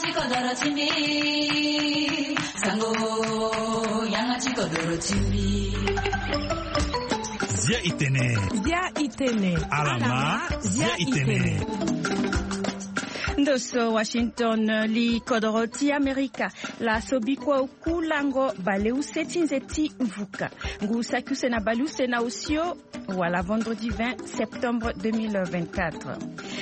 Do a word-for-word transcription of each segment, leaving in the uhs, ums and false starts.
Ti kodoro ti mbi, sango, yanga ti kodoro ti mbi. Zia itene. Zia itene. Alama, zia itene. Ndo so Washington, li kodoro ti Amerika. Laso bikua oku lango baleuse ti nze ti vuka. Ngu saki use na baleuse na osio, wala vendredi vingt septembre deux mille vingt-quatre.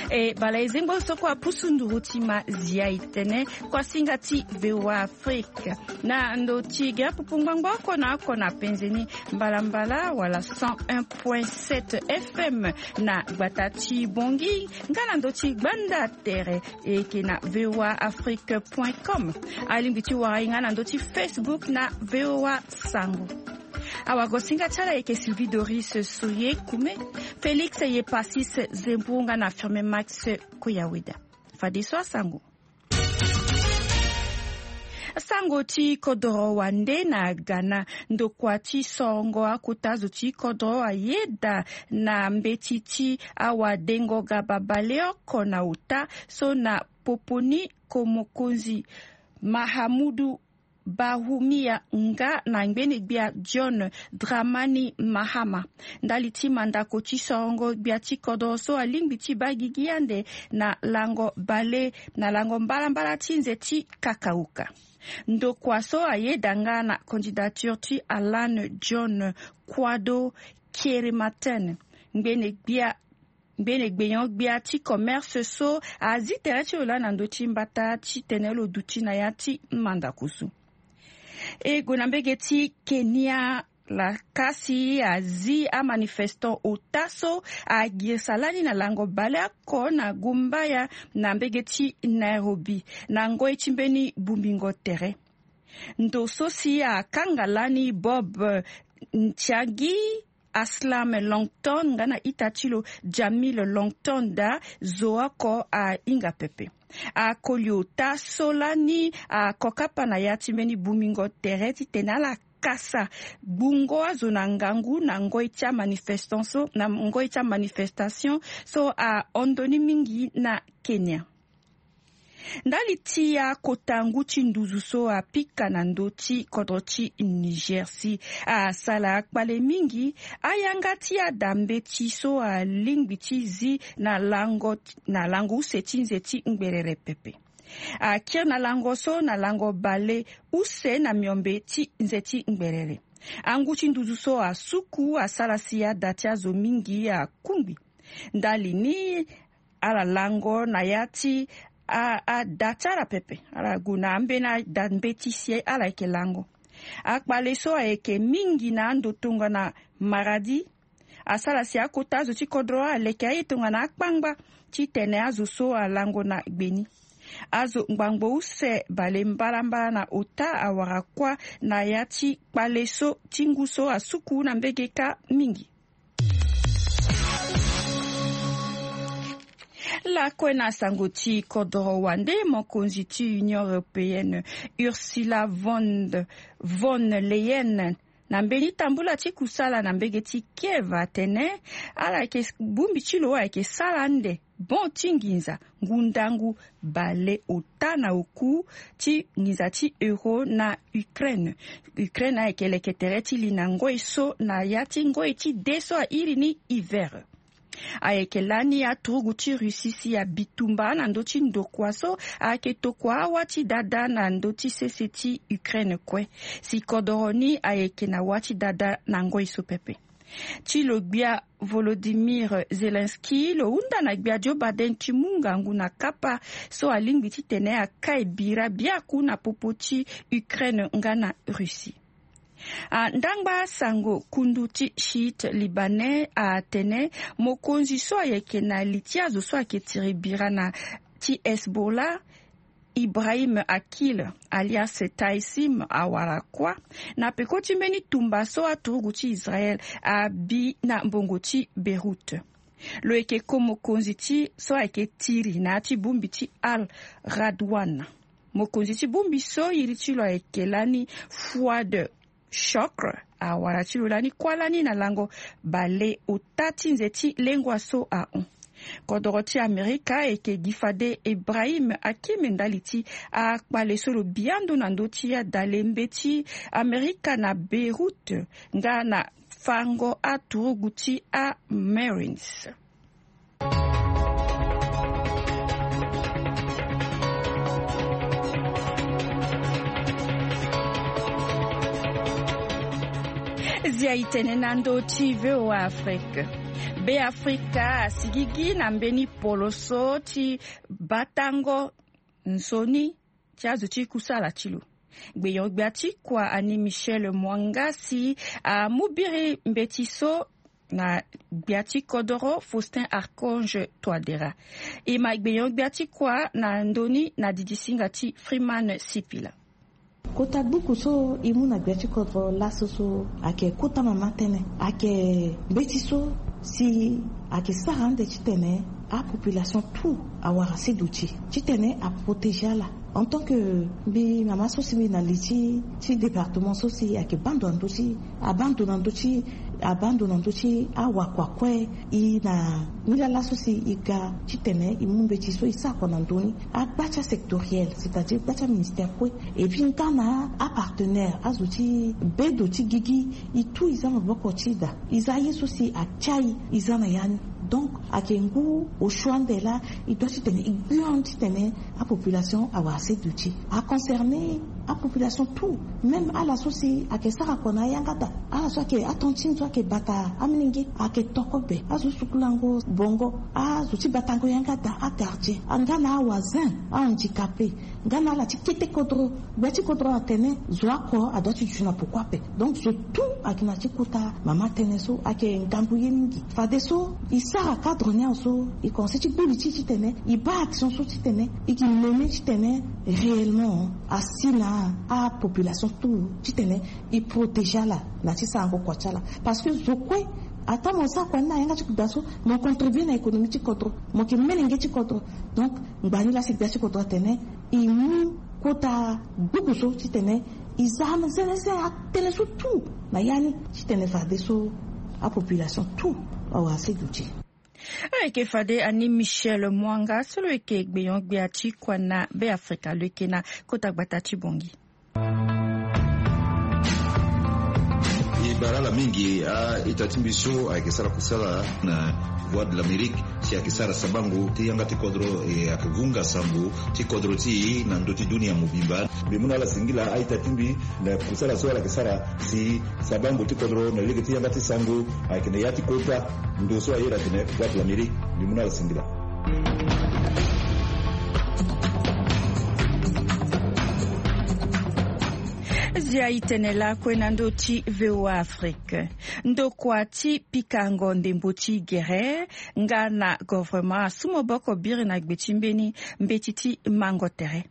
E baleuse ngbonso kue apusu nduru ti ma zia itene, kuasinga ti VOA Afrique. Na ndo ti ge apupu ngbangbo oko na oko na penze ni, mbalambala wala cent un point sept F M na gbata ti Bongi, nga na ndo ti gbanda tere, e yeke na VOA Afrique point com. Alingbi ti wara e nga na ndo ti Facebook na VOA Sango. Awagosinga ti ala e yeke Sylvie Doris Soye Kume, Félix Yepasis Zembourou nga na Firmin Max Koyaweda. Fadeso asango. Sango ti kodoro wande na Ghana, ndokua ti sorongo akota zo ti kodoro ayeda na mbeti ti awadengo ga babale oko na ota so na popo ni, ko mokonzi Mahamudu Bawumia nga na ngbene gbia John Dramani Mahama. Ndali ti mandako ti sorongo, gbia ti kodoro so alingbi ti baa gigi ande na lango bale, na lango mbalambala ti nze ti kakauka. Ndokua so ayeda nga na candidature ti Alan John Kwado Kerimaten, ngbene gbia ngbene gbenyo-gbia ti commerce so azi tere ti lo laa na ndö ti mbata titene lo duti na ya ti mandako so. E gue na mbege ti Kenya, lakasi azi amanifestant ota so agirisa lani na lango baleoko na gumbaya na mbege ti Nairobi na ngoi ti mbeni bongbingo tere. Ndo so si akanga lani Bob Ntiagi, Aslam Longton nga na ita ti lo Jamil Longton daa, zo oko ahinga pepe. Akoli ota so lani akokapa na ya ti mbeni bongbingo tere titene ala kasa gbungo azo na ngangu na ngoi ti amanifestation so, na ngoi ti amanifestation so ahon ndoni mingi na Kenya. Ndali ti akota ngu ti nduzu so apika na ndö ti kodro ti Niger si asara akpale mingi, ayanga ti ada mbeti so alingbi ti zi na lango, na lango use ti nze ti ngberere pepe. Akiri na lango so na lango bale use na miombe ti nze ti ngberere. Angu ti nduzu so asuku asara si ada ti azo mingi akungbi. Ndali ni, ala lango na ya ti a, ada ti ala pepe. Ala gue na ambeni ada mbeti si ala yeke lango. Akpale so ayeke mingi na ando tongana Maradi asara si akota azo ti kodro aleke aye tongana akpangba titene azo so alango na gbe ni. Azo ngbangbo use bale mbalambala na ota awara kuâ na ya ti kpale so ti ngu so asuku na mbege kâ mingi. Lakue na sango ti kodro wande, mokonzi ti Union Européenne, Ursula von, von Leyen, na mbeni tambula ti kusala na mbege ti Kiev atene ala yeke, bongbi ti lo ayeke sara ande bon ti nginza ngu ndangu bale ota na oku ti nginza ti euro na Ukraine. Ukraine ayeke leke tere ti li na ngoi so na ya ti ngoi ti de so airi ni hiver. Ayeke lani aturugu ti Russie si abitumba na ndö ti ndokua so ayeke tokua awa ti dada na ndö ti sese ti Ukraine kue. Si kodoro ni ayeke na wa ti dada na ngoi so pepe. Ti lo gbia Volodymyr Zelensky lo hunda na gbia Joe Biden ti mu ngangu na kapa so alingbi titene akai bira biaku na popo ti Ukraine nga na Russie. A, ndangba sango kundu ti Chiite libanais atene mokonzi so ayeke na li ti azo so ayeke tiri bira na ti Hezbollah, Ibrahim Akil, alias Taisim, awara kuâ na peko ti mbeni tumba so aturugu ti Israel abi na mbongo ti Beyrouth. Lo yeke ko mokonzi ti so ayeke tiri na ya ti bongbi ti Al Radwan. Mokonzi ti bongbi so iri ti lo ayeke lani Fouad Shokr, awara ti lo lani kuâ lani na lango baleota ti nze ti lengua so ahon. Kodoro ti Amerika eke gi fade Ibrahim Hakim ndali ti akpale so lo biando na ndö ti adale mbeti Amerika na Beyrouth nga na fango aturugu ti aMarines. Zia itene na ndö ti VOA Afrique. Be Afrika asigigi na mbeni poloso ti batango nzoni ti azo ti kusala ti lo. Gbenyo-gbia ti kua ani Michel Mwanga si amu biri mbeti so na gbia ti kodoro Faustin Archange Touadéra. E ma gbenyo-gbia ti kua na ndö ni na didisinga ti Freeman Sipila. Kota gbuku so e mu na gbia ti kodro laso so ayeke kota mama tënë, ayeke mbeti so si ayeke sara ande titene apopulation tout awara se duti titene aprotégé ala. En tant que mbi mama so si mbi na li ti ti département so si ayeke baa ndo na ndö ti abaa ndo na ndö ti abaa ndo na ndö ti awakua kue. E na nilaa laso si e ga titene e mu mbeti so e sara kua na ndö ni agba ti asectoriel, c'est-à-dire gba ti aministère kue. Et puis nga na apartenaire azo ti bedo ti gigi, e tout e za maboko ti da, e za ye so si atia e, e za na ya ni. Donc ayeke ngu osio ande laa e doit titene e gbi on titene apopulation awara se duti. Aconcerné apopulation tout, même ala so si ayeke sara kua na ayanga da, ala so ayeke atantine so ayeke bata amolenge, ayeke toko be azo sukulango bongo, azo ti batango yanga da, agardien, nga na awazen, ahandicapé, nga na ala ti kete kodro. Gbia ti kodro atene zo oko adoit ti duti na poko ape. Donc zo tout ayeke na ya ti kota mama tënë so ayeke ngangu ye mingi. Fadeso e sara cadre ni awe so e commencé ti gbu li ti e titene e baa action so titene e ke mené titene réellement asi na apopulation tout titene e protégé ala na ya ti sarango kua ti ala. Parce que zo kue, ata mo sara kua ni na yanga ti kuda so, mo contribué na économie ti kodro, mo yeke melenge ti kodro. Donc ngbani laa si gbia ti kodro atene e mu kota gbuku so titene e za zenezene atënë so tout na ya ni titene fadeso apopulation tout awara se duti. Ayeke fade ani Michel Mwanga so lo yeke gbenyo-gbia ti kua na Be Afrika, lo yeke na kota gbata ti Bongi. E bara ala mingi a-ita ti mbi so ayeke sara kusala na Voix de l'Amérique si ayeke sara sabango ti yanga ti kodro, e ayeke vunga sango ti kodro ti e na ndö ti dunia mobimba. Mbi mu na ala singila a-ita ti mbi na kusala so ala yeke sara si sabango ti kodro na lege ti yanga ti sango ayeke na ya ti kota ndo so a iri atene Voix de l'Amérique. Mbi mu na ala singila. Zia itene lakue na ndö ti VOA Afrique. Ndokua ti pikango ndembo ti gere nga na govrema asu maboko biri na gbe ti mbeni mbeti ti mango tere.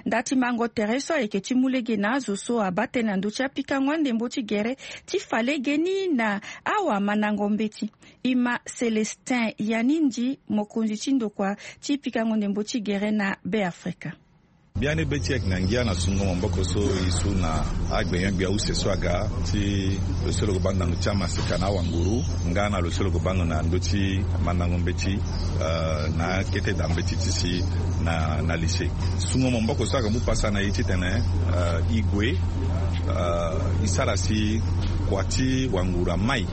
Nda ti mango tere so ayeke ti mu lege na azo so abaa tënë na ndö ti apikango andembo ti gere ti fa lege ni na awamandango mbeti. E ma Célestin Yanindi, mokonzi ti ndokua ti pikango ndembo ti gere na Be Afrika. Biani be ti e ayeke na ngia na sungo maboko so e su na agbenyo-gbia use so aga ti lo so lo ke baa ndo na ndö ti amaseka na awanguru nga na lo so lo ke baa ndo na ndö ti mandango mbeti, eh, na akete da mbeti ti si na, na lycée. Sungo maboko so aga mu pasa na e titene, eh, e gue, eh, e sara si kua ti wanguru amai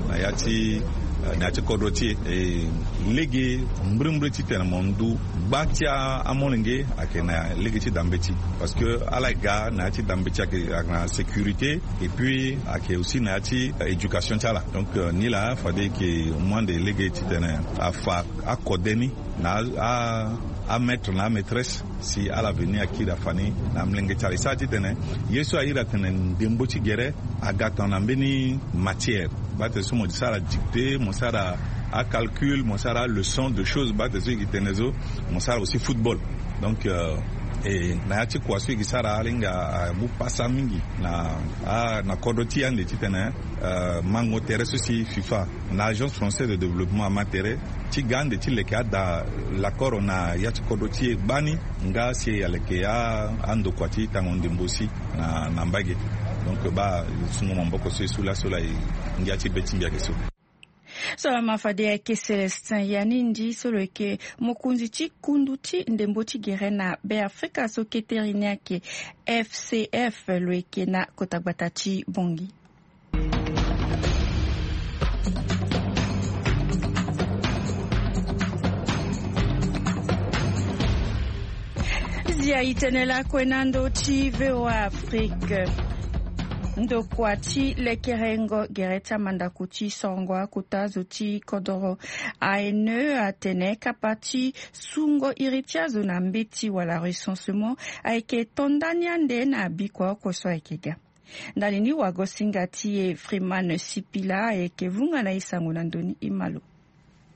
na ya ti, eh, na ya ti kodro ti e. E lege mbrimbri titene mo ndu gba ti a, amolenge ayeke na lege ti da mbeti. Parce que ala ga na ya ti da mbeti ayeke, ayeke na sécurité, et puis ayeke aussi na ya ti, euh, éducation ti ala. Donc, euh, nilaa fade e ke mu ande lege titene afa akode ni na a, a, amaître na amaîtresse si ala veni akiri afa ni na amolenge ti ala. E sara titene ye so a iri atene ndembo ti gere aga tongana mbeni matière. Baa tene so mo sara dictée, mo sara acalcul, mo sara leçon de choses, baa tene so e ke tene so mo sara aussi football. Donc, euh, e na ya ti kua so e ke sara ala hinga amu pasa mingi na, a, na kodro ti e ande titene, euh, mango tere so si FIFA na Agence Française de Développement ama tere ti ga ande ti leke ada lakoro na ya ti kodro ti e gbani nga si ala yeke a, andokua ti tango ndembo si na, na mbage. Donc baa sungo maboko so e su laso laa e ngia ti be ti mbi ayeke so. So lama fade ayeke Célestin Yanindi so lo yeke mokonzi ti kundu ti ndembo ti gere na Beafrika so kete ri ni ayeke F C F, lo yeke na kota gbata ti Bongi. Zia itene lakue na ndo ti V O A Afrique. Ndokua ti lekerengo gere ti amandako ti sorongo akota zo ti kodoro A N E atene kapa ti sungo iri ti azo na mbeti wala recensement ayeke to ndani ande na bikua oko so ayeke ga. Ndali ni wagosinga ti e Freeman Sipila ayeke vunga na e sango na ndoni e ma lo.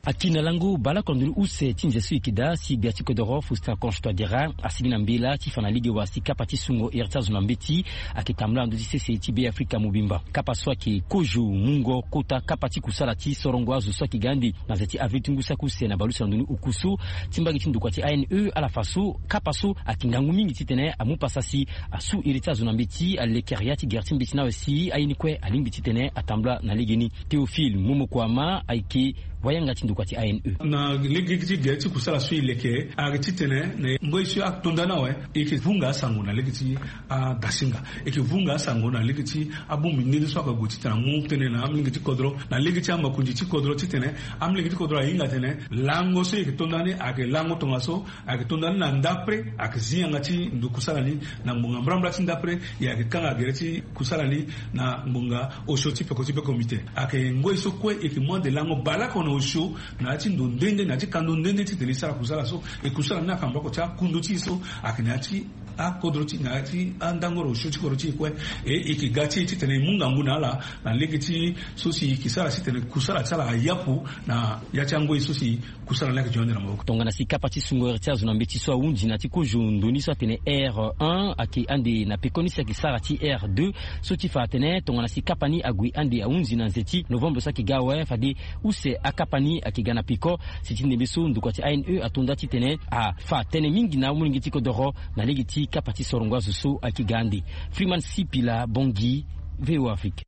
Aki na lango baleoko na ndoni use ti nze so e yeke daa si gbia ti kodoro Faustin Archange Touadéra asigi na mbela ti fa na lege wala si kapa ti sungo iri ti azo na mbeti ayeke tambula na ndö ti sese ti Beafrika mobimba. Kapa so ayeke kozo mungo kota kapa ti kusala ti sorongo azo so ayeke ga ande na nze ti avril ti ngu saki use na baleuse na ndoni oku so ti mbage ti ndokua ti A N E ala fa so kapa so ayeke ngangu mingi titene amu pasa si asu iri ti azo na mbeti, alekere ya ti gere ti mbeti ni awe si aye ni kue alingbi titene atambula na legeni. Théophile Momokoama ayeke wayanga ti ndokua ti A N E. Na lege ti gere ti kusala so e leke ayeke titene na ngoi so ato nda ni awe, e yeke vunga asango na lege ti adasinga, e yeke vunga asango na lege ti abongbi nde nde so ayeke gue titene amu tënë na amolenge ti kodro, na lege ti amakonzi ti kodro titene amolenge ti kodro ahinga atene lango so e yeke to nda ni ayeke lango tongaso, ayeke to nda ni na ndapre, ayeke zi yanga ti ndo kusala ni na ngbonga mbrambra ti ndapre. E ayeke kanga gere ti kusala ni na ngbonga osio ti peko ti be comité. Ayeke ngoi so kue e yeke mu ande lango baleoko na osio na ya ti ndo nde nde, na ya ti kando nde nde titene e sara kusala so. E kusala ni ayeke na mbako ti akundo ti e so ayeke na ya ti akodro ti, na ya ti andangoro osio ti kodro ti e kue. E, e yeke ga ti e titene e mu ngangu na ala na lege ti so si e yeke sara titene kusala ti ala ayapu na ya ti angoi so si kusala ni ayeke ti hon ande na maboko. Tongana si kapa ti sungo iri ti azo na mbeti so ahunzi na ti kozo ndo ni so atene R un ayeke ande na peko ni si ayeke sara ti R deux, so ti fa atene tongana si kapa ni ague ande ahunzi na nze ti novembre so ayeke ga awe, fade use akapa ni ayeke ga na peko. Si ti ndembe so ndokua ti A N E ato nda titene afa tënë mingi na amolenge ti kodoro na lege ti kapa ti sorongo azo so ayeke ga ande. Freeman Sipila, Bongi, V O A Afrique.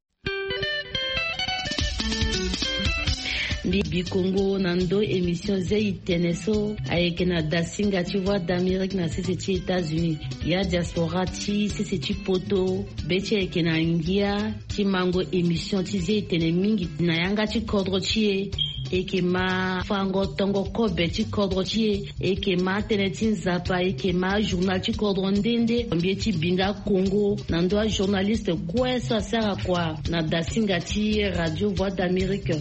Mbi bi kongo na ndo émission zia itene so ayeke na dasinga ti Voix d'Amérique na sese ti États-Unis. Ya diaspora ti sese ti poto, be ti e ayeke na ngia ti mango émission ti zia itene mingi na yanga ti kodro ti e. E yeke ma fango tongo kobe ti kodro ti e. E yeke ma tënë ti Nzapa, e yeke ma ajournal ti kodro nde nde. Mbi ye ti binga kongo na ndo ajournaliste kue so asara kua na dasinga ti Radio Voix d'Amérique.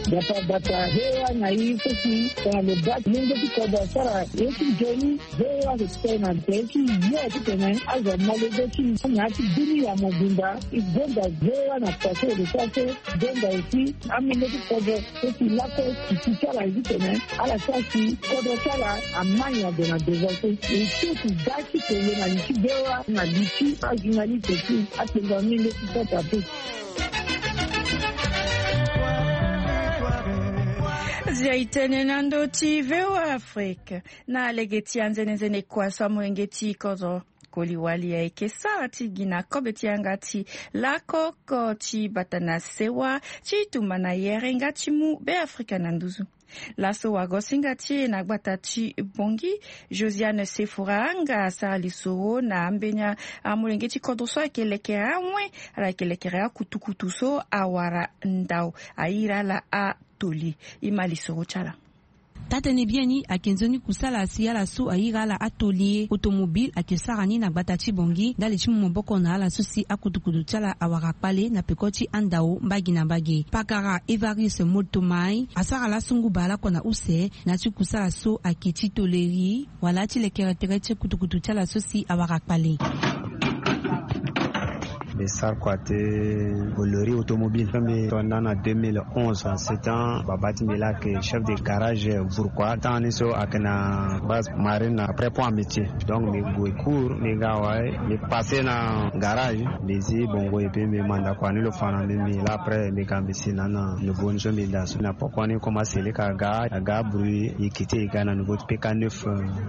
Bata bata hewa na i so si tongana lo baa ti lenge ti kodro asara ye ti nzoni. Ve wa respect na tënë ti ye titene azo amolenge ti na ya ti dunia mobimba. E gonda ve wa na poto de sase. Gonda aussi amolenge ti kodro so si lakue si ti ala ye titene ala sara si kodro ti ala amai ade na devant so. E so si da ti tene na li ti ve wa na li ti ajournaliste ti atengo amolenge ti Centrafrique. Zia itene na ndo ti V O A Afrique. Na lege ti anzenenzene kua so amolenge ti kodro koli wali ayeke sara ti gi na kobe ti yanga ti lakoko ti bata na sewa ti tumba na yere nga ti mu Beafrika na nduzu. Laso wagosinga ti e na gbata ti Bongi, Josiane Sefora nga asara lisoro na ambeni amolenge ti kodro so ayeke lekere awen, ala yeke lekere akutukutu so awara ndao, ayiri ala atoli. E ma lisoro ti ala. Taa-tënë biani ayeke nzoni kusala si ala so ayiri ala atoli ye. Automobile ayeke sara ni na gbata ti Bongi ndali ti mu maboko na ala so si akutukutu ti ala awara kpale na peko ti andao mbage na mbage. Pakara Evariste Moltomai asara laso ngu baleoko na use na ya ti kusala so ayeke ti toleri wala ti lekere tere ti kutukutu ti ala so si awara kpale. Mbi sara kua ti bolori automobile so mbi to nda na deux mille onze. Setan baba ti mbi laa ayeke chef de garage Bourquois. Temps ni so ayeke na base marine après pont amitié. Donc mbi gue cours mbi ga wai mbi passe na garage mbi zi bongo et puis mbi manda kua ni lo fa na mbi mbi laa après mbi ga mbi si na na nouveau ni so mbi daa so na poko ni commence leka aga aga bruit e quitté e ga na nouveau ti P K neuf.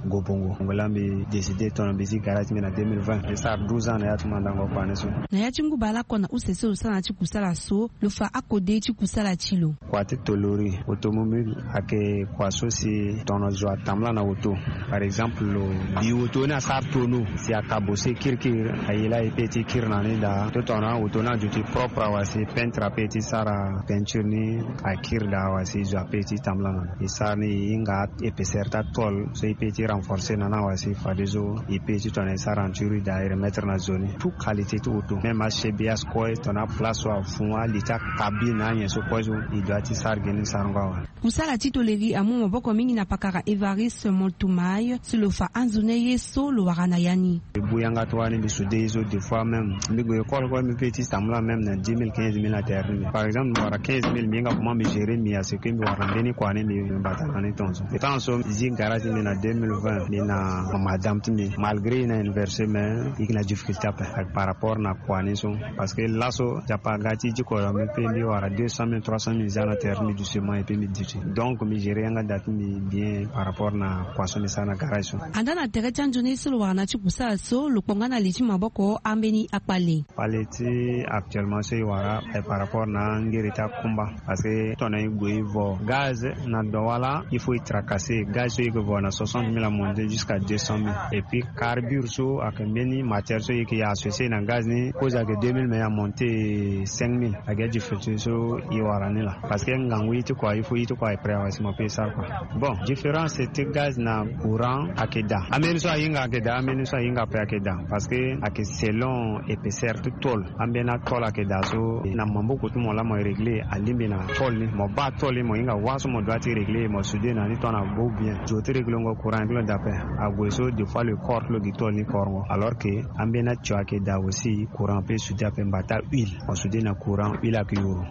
Go bongo ngo laa mbi décidé tongana mbi zi garage ti mbi na deux mille vingt mbi sara douze ans na ya ti mandango kua ni so. Ya ti ngu baleoko na use so lo sara na ti kusala so lo fa akode ti kusala ti lo. Kua ti tolori automobile ayeke kua so si tongana zo atambula na auto. Par exemple, lo bi auto ni asara tono si akabose kirikiri, aye laa e pe ti kiri na ni daa. Tongana auto ni aduti propre awe si peintre ape ti sara peinture ni, akiri daa awe si zo ape ti tambula na ni. E sara ni e hinga épaisseur ti atôle so e pe ti renforcer na ni awe si fadeso e pe ti tongana e sara enturi daa e remettre na zo ni. Tout qualité ti auto, même achebs, aspare, tongana place so afu, ali ti akabine, anyen so kue so e doit ti sara gi ni sarango awe. Kusala ti toleri amu maboko mingi na pakara Évariste Montumay si lo fa anzoni ye so lo wara na ya ni. Mbi bu yanga ti wani mbi soude ye so, des fois même mbi gue école kue mbi pe ti tambula même na dix mille, quinze mille na terre ni. Par exemple mbi wara quinze mille, mbi hinga comment mbi gérer mbi à ce que mbi wara mbeni kua ni mbi mbata na ni tongaso. Temps so mbi zi garage ti mbi na deux mille vingt, mbi na madame ti mbi, malgré e na université mais e yeke na difficulté ape par rapport na kua ni so. Parce que laso Nzapa aga ti diko, mbi pe mbi wara deux cent mille, trois cent mille, mbi za na terre mbi duti seulement et puis mbi duti. Donc mbi gérer yanga da ti mbi bien par rapport na kua so mbi sara na garage so. Andaa na tere ti anzoni so lo wara na ti kusala so, lo kpo nga na li ti maboko ambeni akpale. Kpale ti actuellement so e wara aye par rapport na angere ti akumba. Parce que tongana e gue e vo gaz na Douala, il faut e tracasser. Gaz so e yeke vo na soixante mille amonte jusqu'à deux cent mille. Et puis carbure so ayeke mbeni matière so e yeke associer na gaz ni, cause ayeke deux mille mais e amonte cinq mille. Ayeke difficulté so e wara ni laa. Parce que ngangu ye ti kua, il faut ye ti kua e prêt awe si mo pe e sara kua. Bon, différence ti gaz na courant ayeke daa. Ambeni so ahinga ayeke daa, ambeni so ahinga ape ayeke daa. Parce que ayeke selon épaisseur ti tôle. Ambeni atôle ayeke daa so na maboko ti mo laa mo régler, alingbi na tôle ni. Mo baa tôle ni, mo hinga wâ so mo doit ti régler, mo soude na ni tongana bo bien. Zo ti réglengo courant ni ti lo daa ape. Ague so des fois le corps ti lo gi tôle ni korongo. Alors que ambeni atio ayeke daa aussi, courant ape e soude ape, mbata huile. Mo soude na courant, huile ayeke yuru.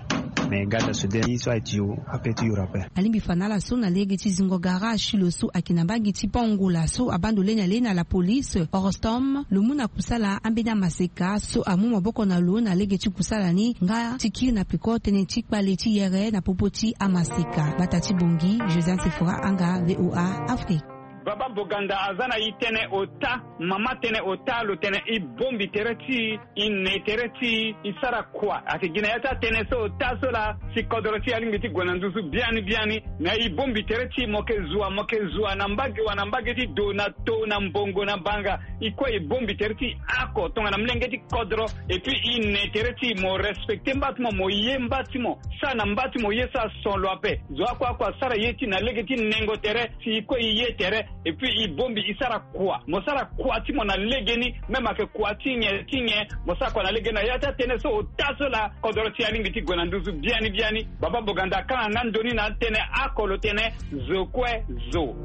Mais gaz asoude ye so aye tio ape ti yuru ape. Alingbi fa na ala so na lege ti zingo garage ti lo so ayeke na mbage ti Pont Ngola so abaa ndo leni ale na la police, Orostom, lo mu na kusala ambeni amaseka so amu maboko na lo na lege ti kusala ni nga ti kiri na peko tënë ti kpale ti yere na popo ti amaseka. Bata ti Bongi, Josiane Sephora Anga, V O A Afrique. Baba Boganda aza na e tënë ota, mama tënë ota, lo tene e bongbi tere ti e, e ne tere ti e, e sara kua. Ayeke gi na ya ti atënë so ota so laa si kodro ti e alingbi ti gue na nduzu biani biani. Na e bongbi tere ti e, mo yeke zua, mo yeke zua na mbage wa na mbage ti do na to na mbongo na banga. E kue e bongbi tere ti e oko tongana molenge ti kodro. Et puis e ne tere ti e, mo respecter mba ti mo, mo ye mba ti mo. Sara na mba ti mo ye so ason lo ape. Zo oko oko asara ye ti e na lege ti nengo tere, si e kue e ye tere. Et puis e bongbi e sara kua. Mo sara kua ti mo na legeni, même ayeke kua ti nyen ti nyen, mo sara kua na legeni na ya ti atënë so ota so laa kodro ti e alingbi ti gue na nduzu biani biani. Baba Boganda akanga nga ndoni na atënë oko, lo tene zo kue zo.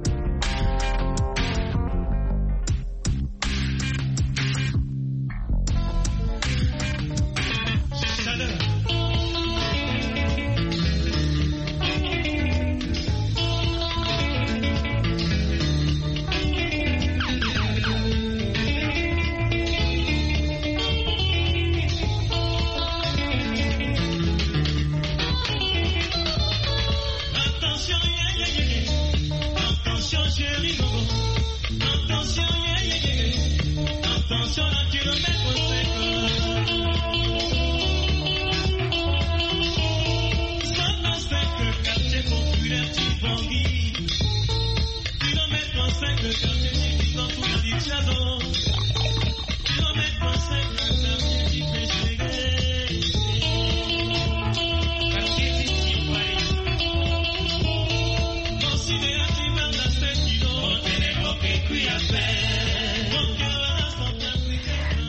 Attention, yeah, yeah, yeah, yeah. Attention, chérie, non. Attention, yeah, yeah, yeah. Attention, à kilomètre cinq. Zone cinq, quartier populaire, Tibangi. Kilomètre cinq, quartier Tibangi, tout le monde dit ça, non.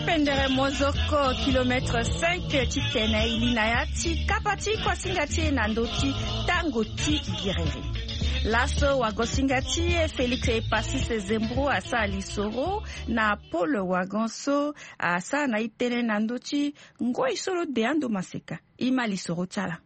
Pendere mozoko kilomètre cinq ti tene e li na ya ti kapa ti kuasinga ti e na ndö ti tango ti giriri. Laso wagosinga ti e Félix Epassis Zembro asara lisoro na pole wagon so asara na e tënë na ndö ti ngoi so lo de ando maseka. E ma lisoro ti ala.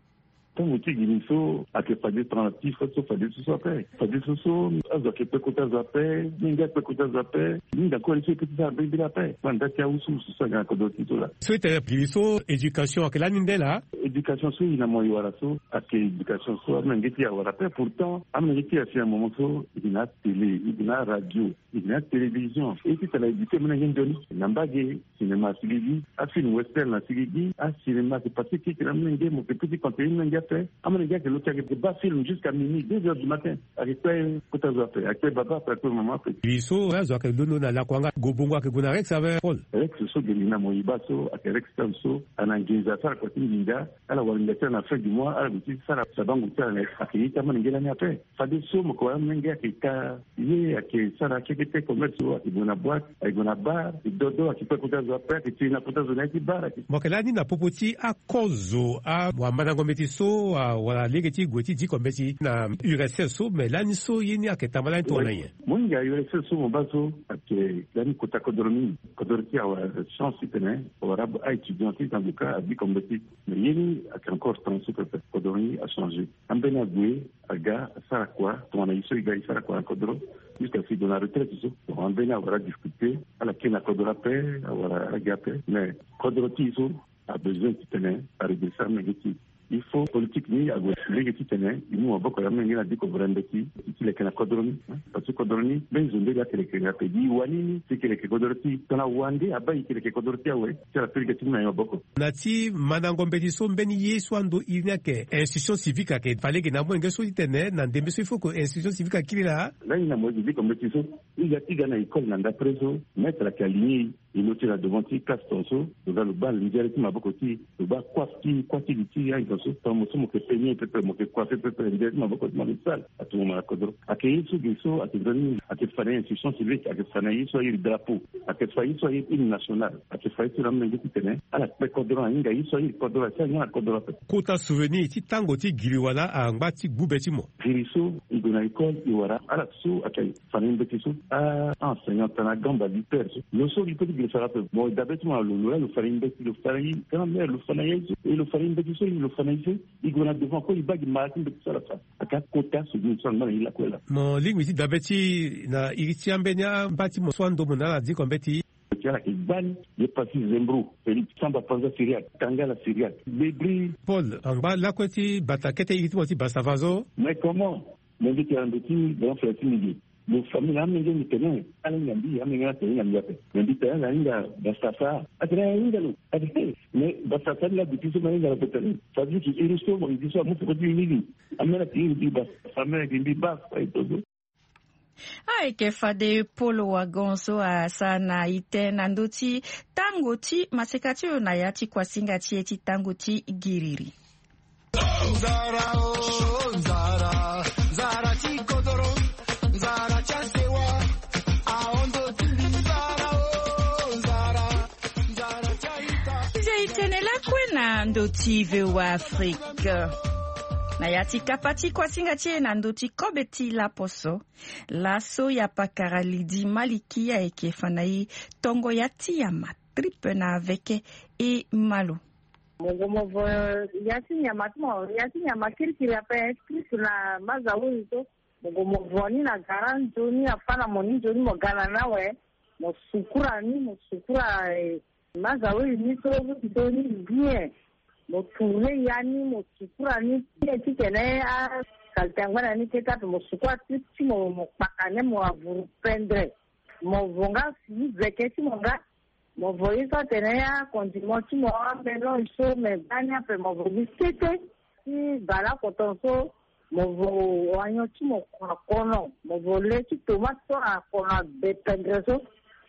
Tango ti gini so ayeke fade tongana ti fo so fade so so ape. Fade so so azo ayeke kpe kota zo ape. Mingi akpe kota zo ape. Mingi akoli so e pe ti sara mbirimbiri ape. Kua nda ti awusu so so ayeke na kodro ti so laa. So ete gini so éducation ayeke lani nde laa. Éducation so e na mo e wara so ayeke éducation so amolenge ti e awara ape. Pourtant amolenge ti e asi na moment so e na atélé, e na aradio, e na atélévision. E ti tala éduqué molenge nzoni na mbage. Cinéma asigi gi, afilm western asigi gi. Acinéma ayeke pase keke na molenge, mo yeke pe ti conseiller molenge ape. Amolenge ayeke lo ti ayeke baa film jusqu'à minuit, deux heures du matin. Ayeke kpe kota zo ape, ayeke kpe baba ape, ayeke kpe mama ape. Gini so azo ayeke londo na lakua nga, gobongo ayeke gue na Rex ape, Paul? Rex so geni na mo e baa so ayeke Rex town so ana nginza asara kua ti nginza. Ala wara nginza ti ala na fin du mois, ala gue ti sara sabango ti ala na ye. Ayeke ye ti amolenge lani ape. Fade so mo yeke wara amolenge ayeke ka ye, ayeke sara kekete commerce so, ayeke gue na boîte, ayeke gue na bar, ayeke dodo, ayeke kpe kota zo ape, ayeke tiri na kota zo na ya ti bar, ayeke. Mo yeke lani na popo ti akozo, awamandango mbeti so, a, wala lege ti gue ti diko mbeti na U R S S so, me lani so ye ni ayeke tamba lani tongana nyen? Mo hinga U R S S so mo baa so ayeke lani kota kodro mingi. Kodro ti e awara chance titene awara a-étudiant ti zanduka adiko mbeti. Me ye ni ayeke encore temps so pepe, kodro ni achangé. Ambeni ague aga asara kua tongana e so e ga e sara kua na kodro. Jusqu'à si e gue na retraite so, bon, ambeni awara difficulté, ala kiri na kodro ape, awara ala gi ape. Mais kodro ti e so abesoin titene aredresser amolenge ti e. Il faut politique ni ague lege titene e mu maboko ya amolenge na diko vere mbeti ti leke na kodro ni. Hein, parce que kodro ni mbeni zo mbeni ake leke ni ape. Gi e wani ni si e ke leke kodro ti e, tongana wande abaa e ke leke kodro ti e awe. Ti ala peleke ti mu na e maboko. Na ti mandango mbeti so mbeni ye so ando iri ni ayeke institution civique ayeke fa lege na amolenge so titene na ndembe so il faut que institution civique akiri laa. Lani na mo ye gi diko mbeti so, e ga ti ga na école na ndapre so, maître ayeke aligné e. E lo ti na devant ti classe tongaso, lo ga lo baa nzere ti maboko ti e, lo baa kua ti kua ti li ti e ayen tongaso. Tongana mo so mo yeke peigné pepe, mo yeke coiffé pepe, nzere ti maboko ti mo ayeke sale. Atomo mo na kodro. Ayeke ye so ge so ayeke nzoni mingi. Ayeke fa na e institution civique, ayeke fa na e ye so airi drapeau, ayeke fa ye so airi hymne national, ayeke fa ye so na amolenge titene ala kpe kodro, ahinga ye so airi kodro, asi ahinga na kodro ape. Kota souvenir ti tango ti giri wala angba ti gbu be ti mo? Giri so e gue na école e wara ala so ayeke fa na e mbeti so, a, a-enseignant tongana agamba lutteur so. Lo so e pe ti giri sara ape. Mo dabe ti mo na lo, lo laa lo fa na e mbeti, lo fa na e grand-mère, lo fa na e aye so, e lo fa na e mbeti so, e lo fa na e so. E gue na devant kue e baa gi mara ti mbeti so ala fa. Ayeke akota souvenir so angba na e lakue laa. Mo lingbi ti dabe ti e na iri ti ambeni amba ti mo so ando mo na ala diko mbeti. Ti ala yeke gbani, ye pasi Zembro, Félix, Samba Panza Syriaque, Tangala Syriaque, Bebri. Paul, angba lakue ti bata kete iri ti mo ti Bastava so. Mais comment? Mo mbi tene na ndo ti grand frère ti mbi ge. Lo famille na amenge mbi tene, ala hinga mbi, amenge na tene hinga mbi ape. Mais mbi tene ala hinga Bastava. Atene ala hinga lo. Atene, mais Bastava ni la duti so ma hinga lo pe tene. Ça veut dire que iri so mo iri so amu peko ti mbi mingi. Amene ayeke iri mbi Bastava, amene ayeke mbi Bastava, e to so. Ayeke fade Paul Wagon so asara na e tene na ndö ti tango ti maseka ti lo na ya ti kuasinga ti e ti tango ti giriri. Nzara o, nzara, nzara ti kodoro, nzara ti asewa, ahondo ti mbi, nzara o, nzara, nzara ti aita. Nze e tene lakue na ndö ti V O A Afrique. Na ya ti kapa ti kuasinga ti e na ndö ti kobe ti laposo. Laso ya pakara Lydie Maliki ayeke fa na e tongo ya ti nyama tripe na veke e malo. Mo gue mo vo ya ti nyama ti mo, ya ti nyama kirikiri ape, tripe na maza uri so. Mo gue mo vo ni na gara nzoni, afa na mo ni nzoni, mo ga na ni awe. Mo sukura ni, mo sukura, eh, maza uri ni so, so ni bien. Mo tourner ya ni, mo sukura ni bien titene asalite angba na ni kete ape. Mo sukura ti, ti mo, mo kpaka ni, mo avuru pendre. Mo vo nga si veke ti mo nga. Mo vo ye so atene akondiment ti mo, amélange so, me gbani ape mo vo gi kete. Ti bale akoton so, mo vo oignon ti mo kua kono, mo vo le ti tomate so na kono abe pendre so.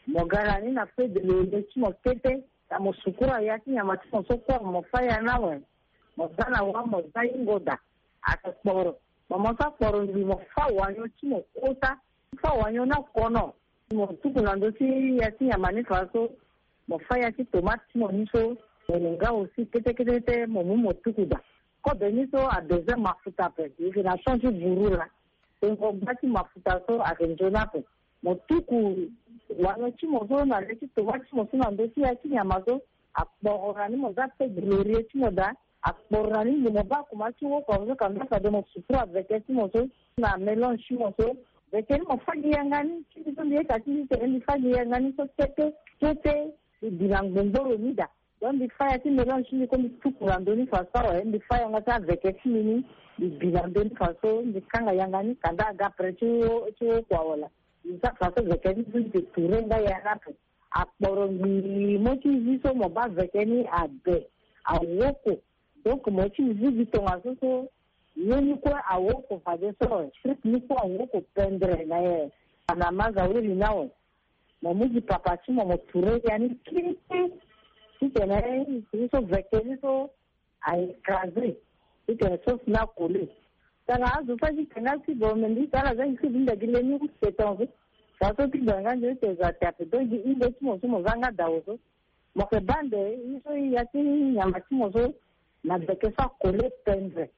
Mo ga na ni na feu de laurier ti mo kete. Na mo sukura ya ti nyama ti mo so kue, mo fa ya ni awe. Mo za na wa, mo za hingo daa. Ayeke kporo. Mo, mo sa kporo ngbii, mo fa oignon ti mo kota. Fa oignon ni akono. Mo tuku na ndö ti ya ti nyama ni fa so. Mo fa ya ti tomate ti mo ni so. Mo nga aussi kete kete kete, mo mu mo tuku daa. Kobe ni so abezoin mafuta ape. E yeke na champ ti vuru laa. Tengo gba ti mafuta so ayeke nzoni ape. Mo tuku oignon ti mo so na le ti tomate ti mo so na ndö ti ya ti nyama so. Akporo na ni, mo za feu de laurier ti mo daa. Akporo na ni nde mo baa kuma ti woko azo ka nda fade mo sukuru aveke ti mo so na mélange ti mo so. Veke ni mo fagi yanga ni ti mbi so mbi yeka ti mbi tene mbi fagi yanga ni so kete kete. Mbi bi na ngbongboro ni daa. Donc mbi fa ya ti mélange ti mbi ko mbi tuku na ndö ni faso awe mbi fa yanga ti aveke ti mbi ni. Mbi bi na ndö ni faso mbi kanga yanga ni kanda aga après ti wo ti wo kua wala. Mbi za faso veke ni so mbi te touré nga ya ni ape. Akporo ngi mo ti zi so mo baa veke ni abe awoko. Donc mo ti zi gi tongaso so ye ni kue awoko fadeso. Trip ni kue awoko pendre na ye. Ana maza wiri na we. Mo mu gi papa ti mo mo touré ya ni kiri kiri. Titene ye so veke ni so a écrasé. Titene sauce ni akole. Tara azo so azi tenga ti bo me mbi tara aza gi ti bi nda gi leni use tongaso. Tara so ti bo nga nzoni te za te ape donc gi hinde ti mo so mo za nga dawo so. Mo ke baa nde ye so ya ti nyama ti mo so na veke so akole pendre.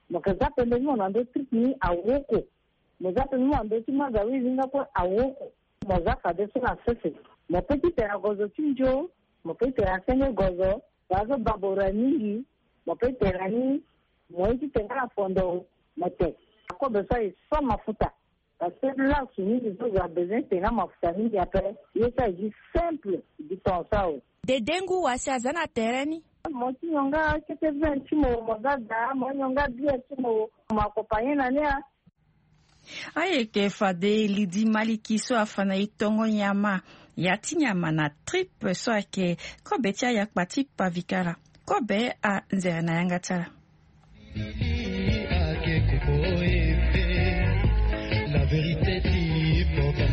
Mo ke za pendre ti mo na ndö trip ni awoko. Mo za pendre ti mo na ndö ti maza wiri nga kue awoko. Mo za fadeso na sese. Mo pe ti tene na gozo ti nzo. Mo pe ti tene na senge gozo. Tara so babo ra mingi. Mo pe ti tene na ni. Mo ye ti tene nga na fondo. Mo te akobe so aye sans mafuta. Parce que lasu mingi so zo abezoin ti tene nga mafuta mingi ape. Ye so aye gi simple. Gi ton so awe. Dede ngu wa si aza na tere ni. Mo ti nyonga kete vin ti mo mo za daa mo nyonga bie ti mo. Mo accompagné na ni a. Ayeke fade lidi maliki so afa na e tongo nyama. Ya ti nyama na trip so ayeke kobe ti ayakpa ti pavikara. Kobe anzere na yanga ti ala. La vérité ti pota.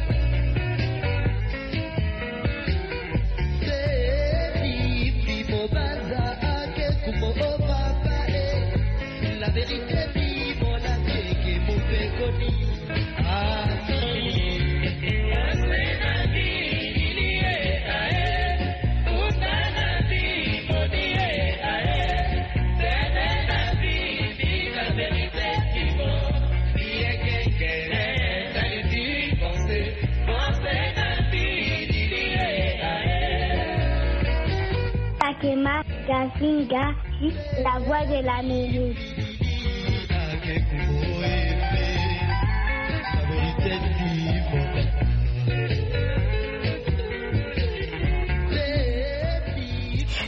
Takema Gazinga, la voix de l'Amérique.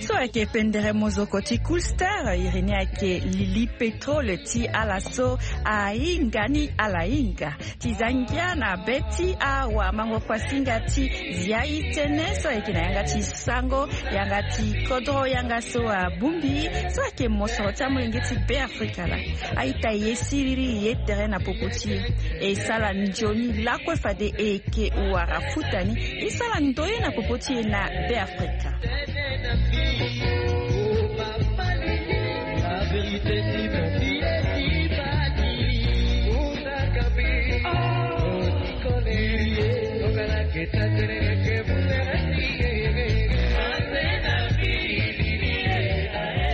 So ayeke pendere mozoko ti Cool Star, iri ni ayeke Lili Pétrole ti ala so ahinga ni ala hinga. Ti za ngia na be ti awamango kuasinga ti zia e tënë so ayeke na yanga ti sango, yanga ti kodro yanga so abongbi, so ayeke mosoro ti amolenge ti Beafrika laa. A-ita e ye siriri e ye tere na popo ti e. E sala nzoni lakue fade e yeke wara futa ni. E sala ndoye na popo ti e na Beafrika.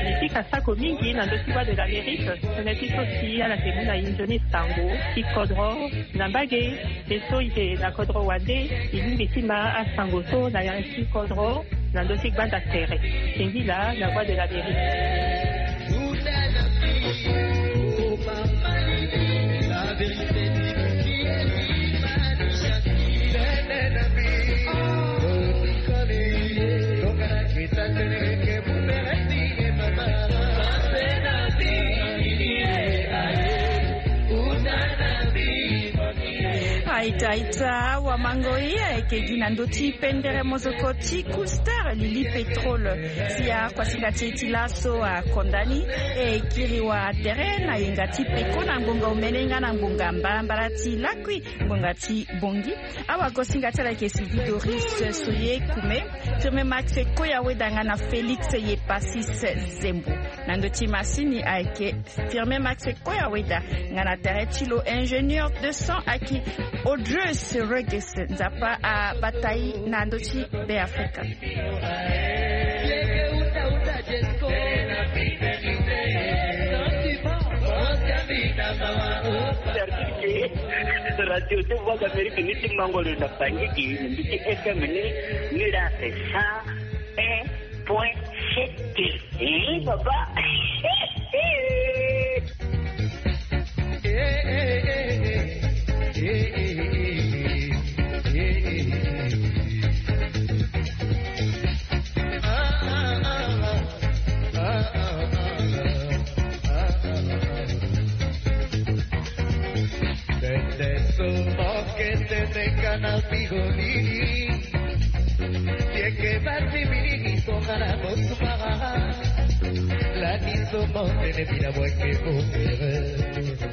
Mbi fika sako mingi na ndö ti Voix de l'Amérique, tënë ti so si ala yeke mu na e nzoni sango ti kodro na mbage. Ye so e yeke na kodro wande, e lingbi ti ma asango so na yanga ti kodro na ndö ti gbanda tere. Singila na Voix de l'Amérique. A-ita, a-ita, awamango e, ayeke gi na ndö ti pendere mozoko ti Cool Star, Lili Pétrole. Si akuasinga ti e ti laso akonda ni, e kiri wa tere na yenga ti peko na ngonga omene nga na ngonga mbalambala ti lakui, ngonga ti bongi. Awagosinga ti ala ayeke Sylvie Doris Soye Kume, Firmin Max Koya Weda nga na Félix Yepasis Zembo. Na ndö ti masini ayeke Firmin Max Koya Weda, nga na tere ti lo ingénieur de son ayeke Audreus Regis. Nzapa abata e na ndö ti Beafrika. Radio ti Voix d'Amérique ni ti mango lo na Bangui, ni mbi ti F M ni, ni la c'est cent un point sept. Eh, papa. Kete meka na bigolini. Yeke basi mingi songa na bosumara. Lani somo tene bila bweke bobere.